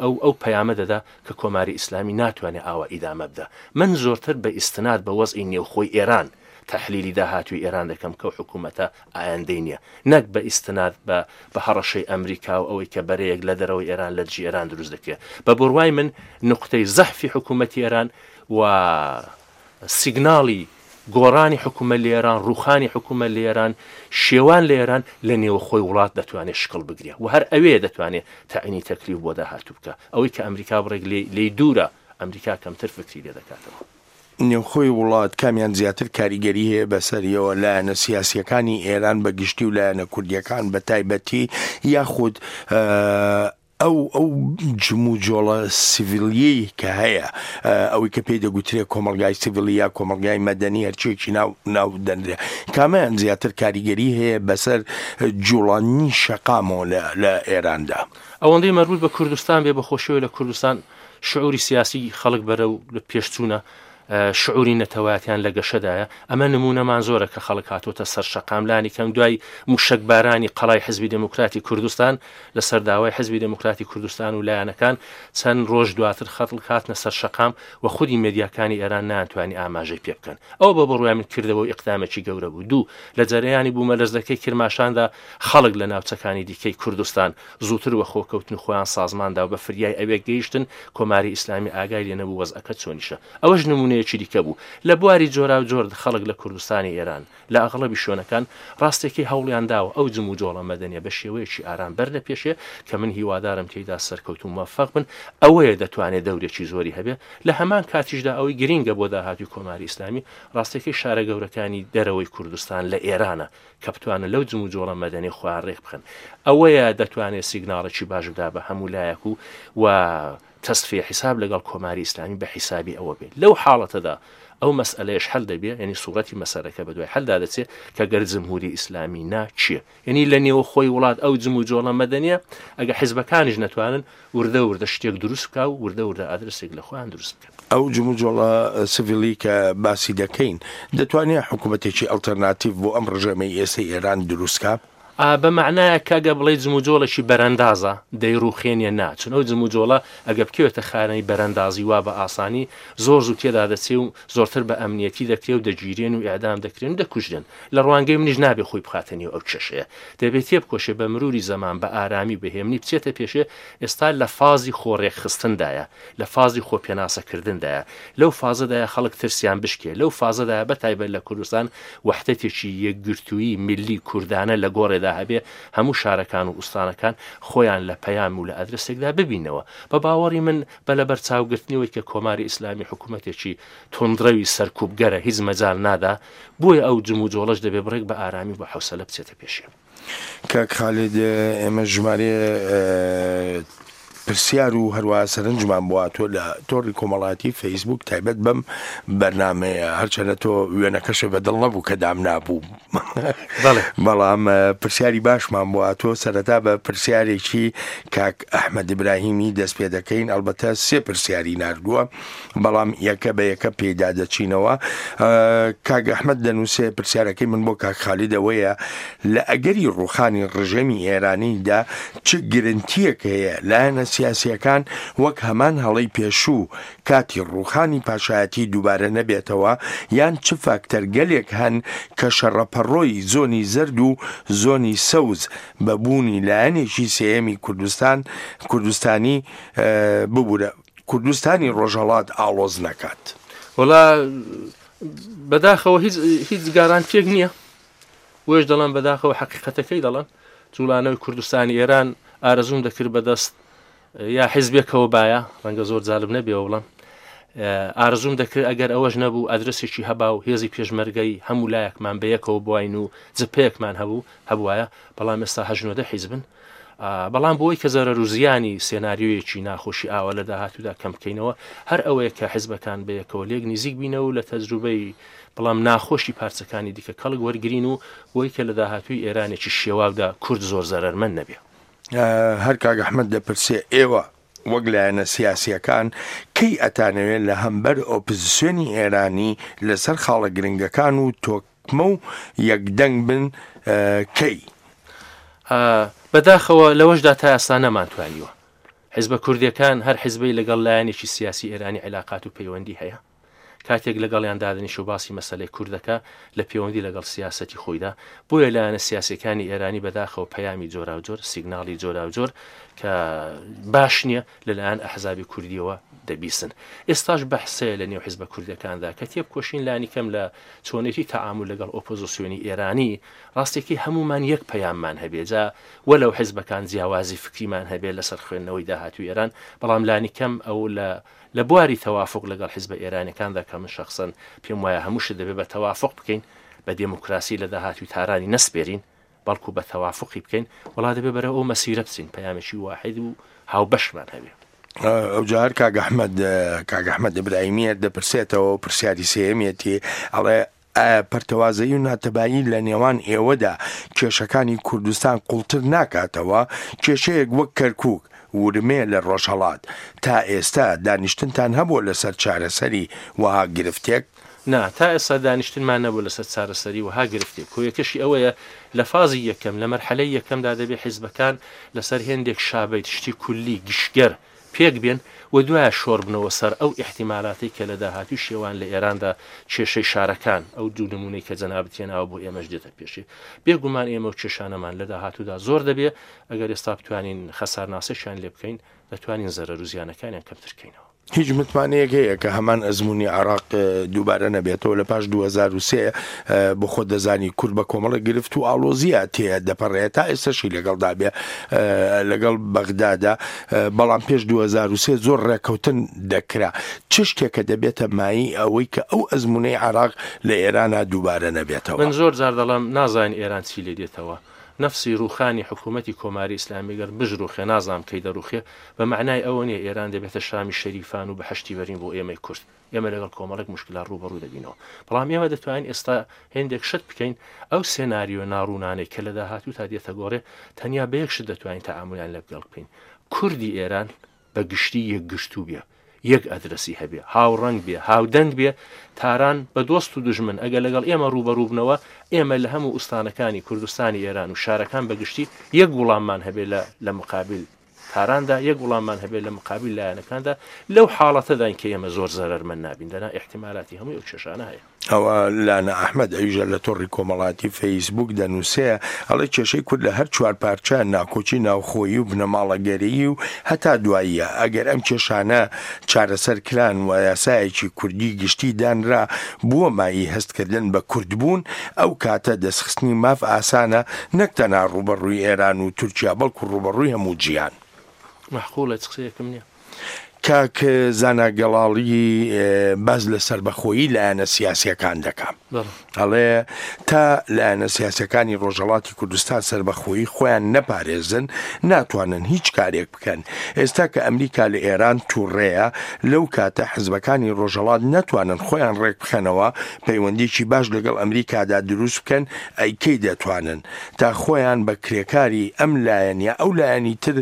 ئەو ئەو پەیامە دەدا کە کۆماری ئیسلامی ناتوانێت ئاوا ئیدامە بدە. من زۆرتر بە ئیستناد بە وەزعی نێوخۆی ئێران تەحلیلی داهاتووی ئێران دەکەم کە حکوومەتە ئایندەی نییە، نەک بە ئیستناد بە بە هەڕەشەی ئەمریکا و ئەوەی کە بەرەیەک لە دەرەوەی ئێران لە دژی ئێران دروست دەکرێت. بە بڕوای من نقطەی زەحفی حکوومەتی ئێران و سیگناڵی گۆڕانی حکوومەت لە ئێران، ڕوخانی حکوومەت لە ئێران، شێوان لە ئێران لە نێوخۆی وڵات دەتوانێت شکڵ بگرێت و هەر ئەوێ دەتوانێت تەعینی تەکلیف بۆ داهاتوو بکە. ئەوەی کە ئەمریکا بڕێک لێی دوورە، ئەمریکا کەمتر فکری لێ دەکاتەوە. نێوخۆی وڵات کامیان زیاتر کاریگەری هەیە بەسەریەوە، لایەنە سیاسیەکانی ئێران بە گشتی و لایەنە کوردیەکان بە تایبەتی، یاخود ئەو ئەو جموجۆڵە سیڤیلیەی کە هەیە، ئەوەی کە پێی دەگوترێت کۆمەلگای سیڤیلی یا کۆمەلگای مەدەنی هەرچیەکی ناو ناو دەنرێ، کامیان زیاتر کاریگەری هەیە بەسەر جوڵانی شەقامەوە لە ئێراندا؟ ئەوەندەی مەربوط بە کوردستان بێ، بەخۆشیەوە لە کوردستان شعوری سیاسی خەڵک بەرەو لە پێشچوونە، شعوری نەتەوایەتیان لە گەشەدایە. ئەمە نمونەمان زۆرە کە خەڵک هاتۆتە سەر شەقام لانی کەم دوای موشەکبارانی قەڵای حزبی دێموکراتی کوردستان لەسەر داوای حزبی دێموکراتی کوردستان و لایەنەکان چەند ڕۆژ دواتر خەڵک هاتنە سەر شەقام و خودی مێدیاکانی ئێران ناتوانانی ئاماژەی پێ بکەن. ئەو بە بڕوای من کردەوە و ئیقدامێکی گەورە بوو. دوو، لە جەرەیانی بوومەلەرزەکەی کرماشاندا خەڵک لە ناوچەکانی دیکەی کوردستان زووتر وە خۆکەوتن خۆیان سازماندا و بە فریای ئەوێ گەیشتن، کۆماری ئیسلامی ئاگای لێ نەبوو وەزعەکە چۆنیشە. ئەوەش نمونەیەکی دیکە بوو. لە بواری جۆراوجۆر خەڵک لە کوردستانی ئێران لە ئەغڵەبی شوێنەکان ڕاستێکی هەوڵیان داوە ئەو جموجۆڵە مەدەنیە بە شێوەیەکی ئارام بەرنە پێشێ کە من هیوادارم تێیدا سەرکەوت و موفق بن. ئەوەیە دەتوانێت دەورێکی زۆری هەبێ. لە هەمان کاتیشدا ئەوەی گرینگە بۆ داهاتوی کۆماری ئیسلامی ڕاستێکی شارە گەورەکانی دەرەوەی کوردستان لە ئێرانە کە بتوانن لەو جموجۆڵە مەدەنی خۆیان ڕێک بخەن. ئەوەیە دەتوانێت سیگناڵێکی باش بدا بە هەموو لایەک و و تەسفیە حیساب لەگەڵ کۆماری ئیسلامی بە حیسابی ئەوە بێت. لەو حاڵەتەدا ئەو مەسئلەیەش حەل دەبێ، یعنی سوورەتی مەسەلەکە بە دوای حەلدا دەچێت کە گەر جمهوری ئیسلامی ناچیە، یعنی لە نێوە خۆی وڵات ئەو جموجۆڵە مەدەنیە ئەگە حیزبەکانیش نەتوانن وردە وردە شتێک دروست بکا و وردە وردە ئادرسێک لە خۆیان دروست بکەن. ئەو جموجۆڵە سڤیلی کە باسی دەکەین دەتوانێت حکوومەتێکی ئەلتەرناتیڤ بۆ ئەم ڕژێمەی ئێستای ئێران دروست بکا؟ بە معنایە کە ئەگە بڵێ جموجۆڵێکی بەرەندازە دەیڕوخێنیە ناچون. ئەو جموجۆڵە ئەگە بکەوێتە خانەی بەرەندازی وا بە ئاسانی زۆر زوو تێدا دەچێ و زۆرتر بە ئەمنیەتی دەکرێ و دەگیرێن و ئیعدام دەکرێن و دەکوژرێن. لە ڕوانگەی منیش نابێ خۆی بخاتە نێو ئەو کێشەیە، دەبێت تێبکۆشێ بە مروری زەمان بە ئارامی بەهێمنی بچێتە پێشێ. ئێستا لە فازی خۆڕێکخستندایە، لە فازی خۆپێناسەکردندایە، لەو فازەدایە خەڵک ترسیان بشکێ، لەو فازەدایە بە تایبەت لە کوردستان وەحدەتێکی یەکگرتوویی ملی کوردانە لە گۆڕێدا هەبێ، هەموو شارەکان و ئوستانەکان خۆیان لە پەیام و لە ئەدرسێکدا ببینەوە. بە باوەڕی من بە لەبەرچاوگرتنەوەی کە کۆماری ئیسلامی حکوومەتێکی توندڕەوی سەرکوبگەرە هیچ مەجال نادا، بۆیە ئەو جموجۆڵەش دەبێ بڕێک بە ئارامی و بە حوسەلە بچێتە پێشێ. کاک خالید، ئێمە ژمارە پرسیار و هەروە سەرنجمان بۆ تۆ لە تۆڕی کۆمەڵاتی فەیسبوک تایبەت بەم بەرنمەیە، هەرچەندە تۆ وێنەکەشە بەدڵ نەبوو کە دام نابوو، بەڵام پرسیاری باشمان بۆ تۆ. سەرەتا بە پرسیارێکی کاک ئەحمەد ئیبراهیمی دەست پێ دەکەین. ئەلبەتە سێ پرسیاری ناردووە، بەڵام یەکە بە یەکە پێدا دەچینەوە. کاک ئەحمەد دەنووسێ پرسیارەکەی من بۆ کاک خالید ئەوەیە لە ئەگەری ڕوخانی ڕژێمی ئێرانیدا چ گرنتیەک هەیە لایەنە سیاسیەکان وەک هەمان هەڵەی پێشوو کاتی ڕوخانی پاشایەتی دووبارە نەبێتەوە، یان چ فاکتەرگەلێک هەن کە شەڕەپەڕۆی زۆنی زەرد و زۆنی سەوز بە بوونی لایەنێکی سێیەمی کوردستان کوردستانی ببوورە کوردستانی ڕۆژهەڵات ئاڵۆز نەکات؟ وەڵا بەداخەوە هیچ هیچ گارانتیەک نییە. وێش دەڵێم بەداخەوە حەقیقەتەکەی دەڵێم جوڵانەوەی کوردستانی ئێران ئارەزوم دەکرد بەدەست یا حیزبێکەوە باە، ڕەنگە زۆر جالب نەبێەوە بڵم ئارەزوم دەکرد ئەگەر ئەوەش نەبوو ئەدرسێکی هەبا و هێزی پێشمەرگەی هەموو لایەکمان بەیەکەوە بواین و جپەیەکمان هەبوو هەبوایە، بەڵام ئێستا هەژنۆدە حیزبن. بەڵام بۆی کە زەرەر و زیانی سێناریۆیەکی ناخۆشی ئاوا لە داهاتوودا کەم بکەینەوە، هەر ئەوەیە کە حیزبەکان بەیەکەوە لێک نزیک بینەوە و لە تەجروبەی بەڵام ناخۆشی پارچەکانی دیکە کەڵک وەرگین و بۆی کە لە داهاتووی ئێرانێکی شێواودا کورد زۆر زەرەرمەند نەبێ. هەر کاک ئەحمەد دەپرسێ ئێوە وەک لایەنە سیاسیەکان کەی ئەتانەوێت لە هەمبەر ئۆپۆزیسیۆنی ئێرانی لەسەر خاڵە گرنگەکان و تۆکمە و یەکدەنگ بن کەی؟ بەداخەوە لەوەشدا تا ئێستا نەمانتوانیوە. حیزبە کوردیەکان هەر حیزبەی لەگەڵ لایەنێکی سیاسی ئێرانی عیلاقات و پەیوەندی هەیە، کاتێک لەگەڵیان دادنیش و باسی مەسەلەی کوردەکە لە پەیوەندی لەگەڵ سیاسەتی خۆیدا، بۆیە لایەنە سیاسیەکانی ئێرانی بەداخەوە پەیامی جۆراوجۆر، سیگناڵی جۆراوجۆر کە باش نییە لەلایەن ئەحزابی کوردیەوە دەبیسن. ئێستاش بەحسەیە لە نێو حیزبە کوردەکاندا کە تێبکۆشین لانی کەم لە چۆنێتی تەعامول لەگەڵ ئۆپۆزیسیۆنی ئێرانی ڕاستێکی هەمومان یەک پەیاممان هەبێ، جا وەلەو حیزبەکان جیاوازی فکریمان هەبێ لەسەر خوێندنەوەی داهاتوی ئێران، بەڵام لانی کەم ئەو لە لە بواری تەوافق لەگەڵ حیزبە ئێرانیەکاندا کە من شەخسەن پێم وایە هەموو شت دەبێت بە تەوافق بکەین، بە دێموکراسی لە داهاتوی تارانی نەسپێرین، بەڵکو بە تەوافقی بکەین، وڵا دەبێت بەرەو ئەو مەسیرە بچین، پەیامێکی واحد و هاوبەشمان هەبێ. ئەو جار کاک ئەحمەد کاک ئەحمەد ئیبراهیمیە دەپرسێتەوە پرسیاری سێیەمیەتی، ئەڵێ ئایا پەرتەوازەیی و ناتەبایی لە نێوان ئێوەدا کێشەکانی کوردستان قوڵتر ناکاتەوە؟ کێشەیەک وەک کەرکووک ورمێ لە ڕۆژهەڵات. تا ئێستا دانیشتنتان هەبووە لەسەر چارەسەری وەها گرفتێک؟ نا، تا ئێستا دانیشتنمان نەبوو لەسەر چارەسەری وەها گرفتێک. هۆیەکەشی ئەوەیە لە فازی یەکەم، لە مەرحەلەی یەکەمدا دەبێ حیزبەکان لەسەر هێندێک شابەیت شتی کولی گشتگەر پێک بێن و دوایە شۆڕبنەوە سەر ئەو ئیحتیمالاتەی کە لە داهاتووی شێوان لە ئێراندا کێشەی شارەکان، ئەو دوو نمونەی کە جەنابت هێناوە بۆ ئێمەش دێتە پێشێ. بێگومان ئێمە و کێشانەمان لە داهاتوودا زۆر دەبێ، ئەگەر ئێستا بتوانین خەسارناسێکیان لێ بکەین، دەتوانین زەرەر و زیانەکانیان کەمتر کەینەوە. هیچ متمانەیەک هەیە کە هەمان ئەزمموی عراق دووبارە نەبێتەوە لە پاش دوو هەزار و سێ بۆ خۆت دەزانی کورد بە کۆمەڵە گرفت و ئاڵۆزیە تێ دەپەڕێت تا ئێستاشی لەگەڵدا بێ لەگەڵ بەغدادا، بەڵام پێش دوو هەزار و سێ زۆر ڕێککەوتن دەکرا. چ شتێکە دەبێتە مایی ئەوەی کە ئەو ئەزمونەی عراق لە ئێرانە دووبارە نەبێتەوە؟ من زۆر جار دەڵێم نازانین ئێران چی لێ دێتەوە. نفسی ڕوخانی حکوومەتی کۆماری ئیسلامی گەر بژروخێ نازانم کەی دەڕوخێ، بە معنای ئەوە نییە ئێران دەبێتە شامی شەریفان و بەهەشتی بەرین بۆ ئێمەی کورد. ئێمە لەگەڵ کۆمەڵێک مشکلات ڕووبەڕوو دەبینەوە، بەڵام ئێمە دەتوانین ئێستا هێندێک شت بکەین. ئەو سێناریۆ ناڕوونانەی کە لە داهاتوو تا دێتە گۆڕێ تەنیا بە یەک شت دەتوانین تەعامولیان لەگەڵ بکەین. کوردی ئێران بە گشتی یەکگرتوو بێ، یەک ئەدرەسی هەبێ، هاوڕەنگ بێ، هاودەنگ بێ. تاران بە دۆست و دژمن ئەگەر لەگەڵ ئێمە ڕووبەڕوو بنەوە، ئێمە لە هەموو ئوستانەکانی کوردستانی ئێران و شارەکان بەگشتی یەک وڵاممان هەبێ لە مقابل تاراندا، یەک وڵاممان هەبێ لە مقابل لایەنەکاندا. لەو حاڵەتەداین کە ئێمە زۆر زەرەرمەند نابین، دەنا ئیحتیمالاتی هەمووی ئەو کێشانە هەیە. ئەوە لانە ئەحمەد ئەویژە لە تۆڕی کۆمەڵاتی فەیسبوک دەنووسێ، ئەڵێ کێشەی کورد لە هەر چوار پارچە ناکۆکی ناوخۆیی و بنەماڵەگەریی و هەتا دواییە. ئەگەر ئەم کێشانە چارەسەر کران و یاسایەکی کوردی گشتی دانرا بووە مایی هەستکردن بە کوردبوون، ئەو کاتە دەستخستنی ماف ئاسانە، نەک تەنها ڕووبەڕووی ئێران و تورکیا بەڵکو ڕووبەڕووی هەموو جیهان. مەحقوڵە، چ قسەیەکم نییە. کاک زانا گەڵاڵی باز لە سەربەخۆیی لایەنە سیاسیەکان دەکا. ئەڵێ تا لایەنە سیاسیەکانی ڕۆژهەڵاتی کوردستان سەربەخۆیی خۆیان نەپارێزن ناتوانن هیچ کارێک بکەن. ئێستا کە ئەمریکا لە ئێران تووڕەیە، لەو کاتە حزبەکانی ڕۆژهەڵات ناتوانن خۆیان ڕێک بخەنەوە، پەیوەندیکی باش لەگەڵ ئەمریکادا دروست بکەن، ئەی کەی دەتوانن تا خۆیان بە کرێکاری ئەم لایەن یا ئەو لایەنی تر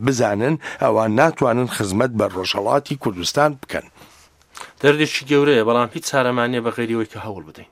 بزانن، ئەوان ناتوانن خزمەت بە ڕۆژهەڵاتی کوردستان بکەن. دەردێکی گەورەیە، بەڵام هیچ چارەمان نییە بە غەیری ئەوەی کە هەوڵ بدەین.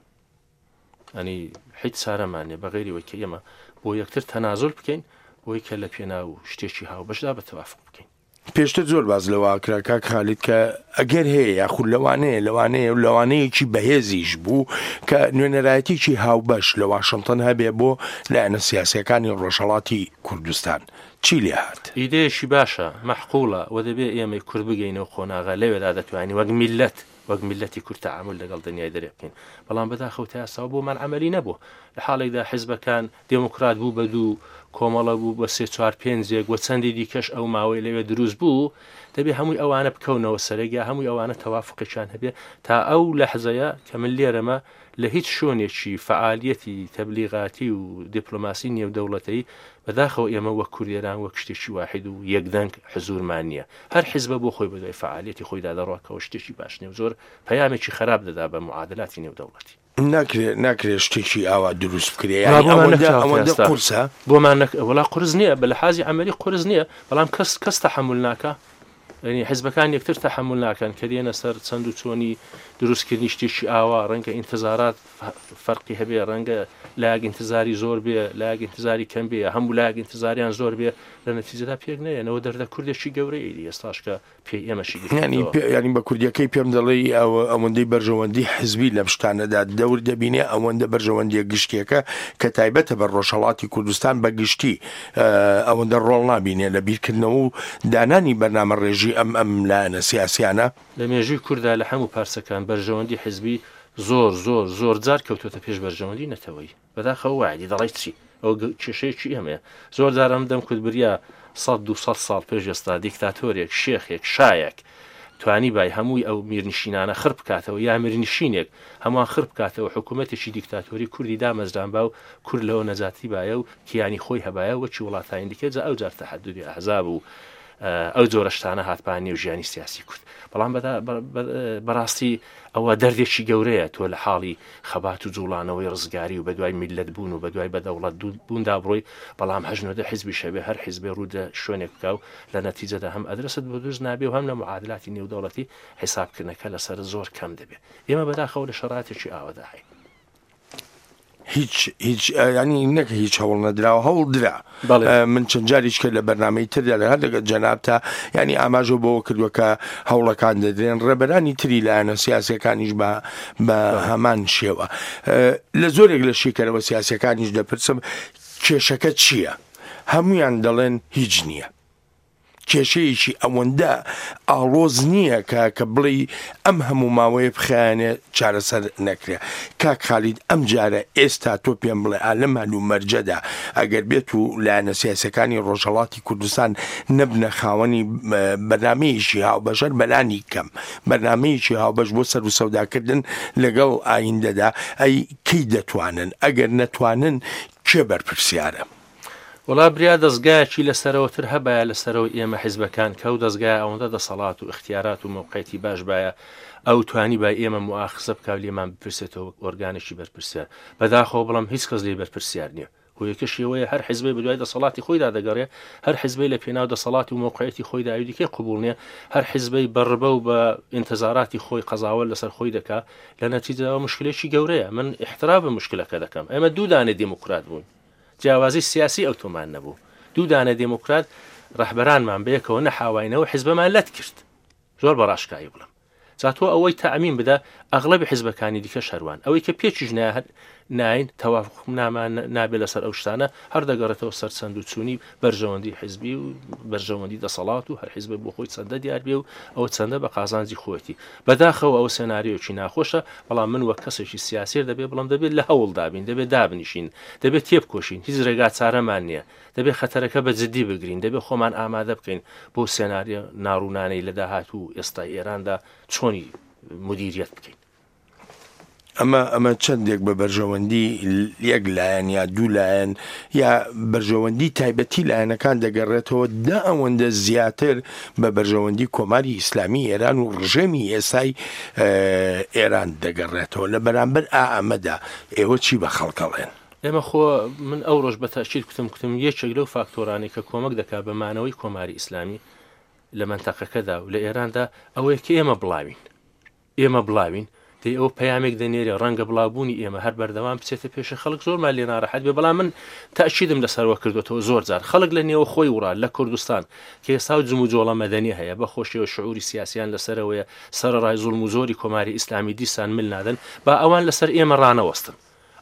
ئەنی هیچ چارەمان نییە بە غەیری ئەوەی کە ئێمە بۆ یەکتر تەنازول بکەین، بۆی کە لە پێناو شتێکی هاوبەشدا بە تەوافق بکەین. پێشتر زۆر باز لەوە کرا کاک خالید کە ئەگەر هەیە یاخود لەوانەیە لەوانەیە و لەوانەیەکی بەهێزیش بوو کە نوێنەرایەتیکی هاوبەش لە واشنگتن هەبێ بۆ لایەنە سیاسیەکانی ڕۆژهەڵاتی کوردستان. چی لێ هات؟ ئیدەیەکی باشە، مەحقوڵە و دەبێ ئێمەی کورد بگەینەوە قۆناغە لەوێدا دەتوانین وەک میلەت، وەک میلەتی کورد تەعامل لەگەڵ دنیای دەرێ بکەین. بەڵام بەداخەوە تا ئێستا بۆمان عەمەلی نەبوو. لە حاڵێکدا حیزبەکان دێموکرات بوو بە دوو، کۆمەڵە بوو بە سێ چوار پێنجێک و چەندی دیکەش ئەو ماوەی لەوێ دروست بوو، دەبێ هەمووی ئەوانە بکەونەوە سەرێک یا هەمووی ئەوانە تەوافقێکیان هەبێ تا ئەو لەحزەیە کە من لێرەمە لە هیچ شوێنێکی فعالیەتی تەبلیغاتی و دیپلۆماسی نێودەوڵەتەی بەداخەوە ئێمە وەک کوردێران وەک شتێکی واحید و یەکدەنگ حزورمان نییە. هەر حیزبە بۆ خۆی بەدوای فعالیەتی خۆیدا دەڕوا کەەوە شتێکی باش نییە و زۆر پەیامێکی خراپ دەدا بە معادلاتی نێودەوڵەتی. ناکرێ ناکرێ شتێکی ئاوا دروست بکرێ. نا، یعنی بۆمان ئەوەندە نەکراوە ئەوەندە ئێستا. قورسە؟ بۆمان نەک-، وەڵا قورس نییە، بە لەحازی عەمەلی قورس نییە، بەڵام کەس، کەس تەحەمول ناکا. یعنی حیزبەکان یەکتر تەحەمول ناکەن کە دێنە سەر چەند و چۆنی دروستکردنی شتێکی ئاوا. ڕەنگە ئینتظارات فەرقی هەبێ، ڕەنگە لایەک ئینتظاری زۆر بێ، لایەک ئینتظاری کەم بێ، هەموو لایەک ئینتظاریان زۆر بێ، لە نەتیجەدا پێک نەیەنەوە. دەردە کوردێکی گەورەیە دی ئێستاش کە پێی ئێمەشی گرتووەتەوە. یعنی پێ-، یعنی بە کوردیەکەی پێم دەڵێی ئەوە، ئەوەندەی بەرژەوەندی حزبی لەم شتانەدا دەور دەبینێ، ئەوەندە بەرژەوەندیە گشتیەکە کە تایبەتە بە ڕۆژهەڵاتی کوردستان بە گشتی، ئە، ئەوەندە ڕۆڵ نابینێ لە بیرکردنەوە و دانانی بەرنامە ڕێژی ئەم، ئەم لایەنە سیاسیانە. لە مێژووی کووردا لە هەموو پارچەکان بەرژەوەندی حزبی زۆر زۆر زۆر جار کەوتۆتە پێش بەرژەوەندی نەتەوەیی. بەداخەوە وایە دەڵێی چی؟ ئەو گە-، کێشەیەکی ئێمەیە. زۆر جار ئەم دەم کورد بریا سەد دوو سەد ساڵ پێش ئێستا دیکتاتۆرێک، شێخێک، شایەک توانی بای هەمووی ئەو میرنشینانە خڕ بکاتەوە یا میرنشینێک هەمووان خڕ بکاتەوە، حکوومەتێکی دیکتاتۆری کوردی دامەزران با و کورد لەوە نەجاتی بایە و کیانی خۆی هەبایە وەکی وڵاتانی دیکە. جا ئەو جار تەحەدودی ئەحزاب و ئەو جۆرە شتانە هاتبان نێو ژیانی سیاسی کورد. بەڵام بەڕاستی ئەوە دەردێکی گەورەیە تۆ لە حاڵی خەبات و جوڵانەوەی ڕزگاری و بەدوای میللەت بوون و بەدوای بەدەوڵەت بووندا بڕۆی، بەڵام هەژنۆدە حیزبی شەبێ هەر حیزبێ ڕوودە شوێنێک بکا و لە نەتیجەدا هەم ئەدرست بۆ دروست نابێ و هەم لە معادلاتی نێودەوڵەتی حیسابکردنەکە لەسەر زۆر کەم دەبێ. ئێمە بەداخەوە لە شەراتێکی ئاوەدا هەین. هیچ هیچ ینی نەک هیچ هەوڵ نەدراوە، هەوڵ درا. من چەند جاریش کرد لە بەرنامەی تردا لە هەر لەگەڵ جەنابتا ینی ئاماژە بەوە کردووە کە هەوڵەکان دەدرێن، ڕێبەرانی تری لایەنە سیاسیەکانیش بە بە هەمان شێوە. لە زۆرێک لە شیکەرەوە سیاسیەکانیش دەپرسم کێشەکە چییە؟ هەمویان دەڵێن هیچ نییە. کێشەیەکی ئەوەندە ئاڵۆز نییە کە کە بڵێ ئەم هەموو ماوەیە بخیانێ چارەسەر نەکرێ. کاک خالید ئەم جارە ئێستا تۆ پێم بڵێ ئالەم هەلومەرجەدا ئەگەر بێت و لایەنە سیاسەکانی ڕۆژهەڵاتی کوردستان نەبنە خاوەنی بەرنامەیەکی هاوبەشەر بەلانی کەم بەرنامەیەکی هاوبەش بۆ سەر و سەوداکردن لەگەڵ ئایندەدا، ئەی کەی دەتوانن؟ ئەگەر نەتوانن کێ بەرپرسیارە؟ وەڵا بریا دەستگایەکی لەسەرەوەتر هەبایە لەسەرەوە ئێمە حیزبەکان کە ئەو دەستگایە ئەوەندە دەسەڵات و ئیختیارات و مەوقعیەتی باش بایە ئەو توانی با ئێمە موئاخزە بکا و لێمان بپرسێتەوە وەک ئۆرگانێکی بەرپرسیار. بەداخەوە بڵام هیچ کەس لێی بەرپرسیار نییە. هۆیەکە شێوەیە هەر حیزبەی بەدوای دەسەڵاتی خۆیدا دەگەڕێ، هەر حیزبەی لە پێناو دەسەڵات و مەوقعیەتی خۆیدا ئەوی دیکەی قبوڵ نییە، هەر حیزبەی بە ڕبە و بە ئینتظاراتی خۆی قەزاوە لەسەر خۆی دەکا. لە نەتیجەوە مشکلێکی گەورەیە. من احتراف بە مشکلەکە دەکەم. ئێمە دوو دانە دێموکرات بووین، جیاوازی سیاسی ئەو تۆمان نەبوو. دوو دانە دێموکرات ڕەهبەرانمان بەیەکەوە نەحاواینەوە حیزبەمان لەت کرد. زۆر بەڕاشکایی بڵم جا تۆ ئەوەی تەئمین بدە ئەغلەبی حیزبەکانی دیکە شەروان، ئەوەی کە پێچیش ناین تەوافقنامە نابێت لەسەر ئەو شتانە، هەر دەگەڕێتەوە سەر چەند و چوونی بەرژەوەندی حیزبی و بەرژەوەندی دەسەڵات و هەر حیزبێک بۆ خۆی چەندە دیار بێ و ئەوە چەندە بە قازانجی خۆیەتی. بەداخەوە ئەو سێناریۆکی ناخۆشە، بەڵام من وەک کەسێکی سیاسیر دەبێ بڵم دەبێت لە هەوڵ دابین، دەبێت دابنیشین، دەبێت تێبکۆشین، هیچ ڕێگا چارەمان نییە، دەبێت خەتەرەکە بە جدی بگرین، دەبێت خۆمان ئامادە بکەین بۆ سێناریۆ ناڕوونانەی لە داهاتوو ئێستا ئێراندا چۆنی مدیریەت بکەین. ئەمە ئەمە چەندێک بە بەرژەوەندی یەک لایەن یا دوو لایەن یا بەرژەوەندی تایبەتی لایەنەکان دەگەڕێتەوە، دا ئەوەندە زیاتر بە بەرژەوەندی کۆماری ئیسلامی ئێران و ڕژێمی ئێسای ئێران دەگەڕێتەوە. لە بەرامبەر ئا ئەمەدا ئێوە چی بە خەڵکەڵێن؟ ئێمە خۆ من ئەو ڕۆژ بە تەئکید کوتم کوتم یەکێک لەو فاکتۆرانەی کە کۆمەک دەکات بە مانەوەی کۆماری ئیسلامی لە مەنتەقەکەدا و لە ئێراندا ئەوەیە کە ئێمە بڵاوین. ئێمە بڵاوین دەی ئەو پەیامێک دەنێرێ، ڕەنگە بڵاوبوونی ئێمە هەر بەردەوام بچێتە پێشە خەڵک زۆرمان لێ ناڕەحەت بێ، بەڵام من تەئکیدم لەسەرەوە کردوێتەوە زۆر جار خەڵک لە نێوە خۆی وڕا لە کوردستان کە ئێستا و جموجۆڵە مەدەنی هەیە بە خۆشیەوە شعوری سیاسیان لەسەرەوەیە، سەرەڕای زوڵم و زۆری کۆماری ئیسلامی دیسان مل نادەن، با ئەوان لەسەر ئێمە ڕانەوەستن،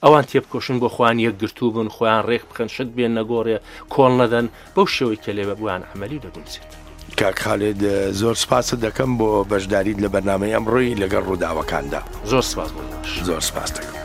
ئەوان تێبکۆشن بۆ خۆیان یەکگرتوو بن، خۆیان ڕێک بخەن، شت بێن نەگۆڕێ، کۆڵ نەدەن، بەو شێوەی کە لێ بۆیان عەمەلی دەگونجێت. کاک خالید زۆر سپاست دەکەم بۆ بەشداریت لە بەرنامەی ئەمڕۆی لەگەڵ ڕووداوەکاندا. زۆر سپاس بۆ ئێوەش. زۆر سپاس دەکەم.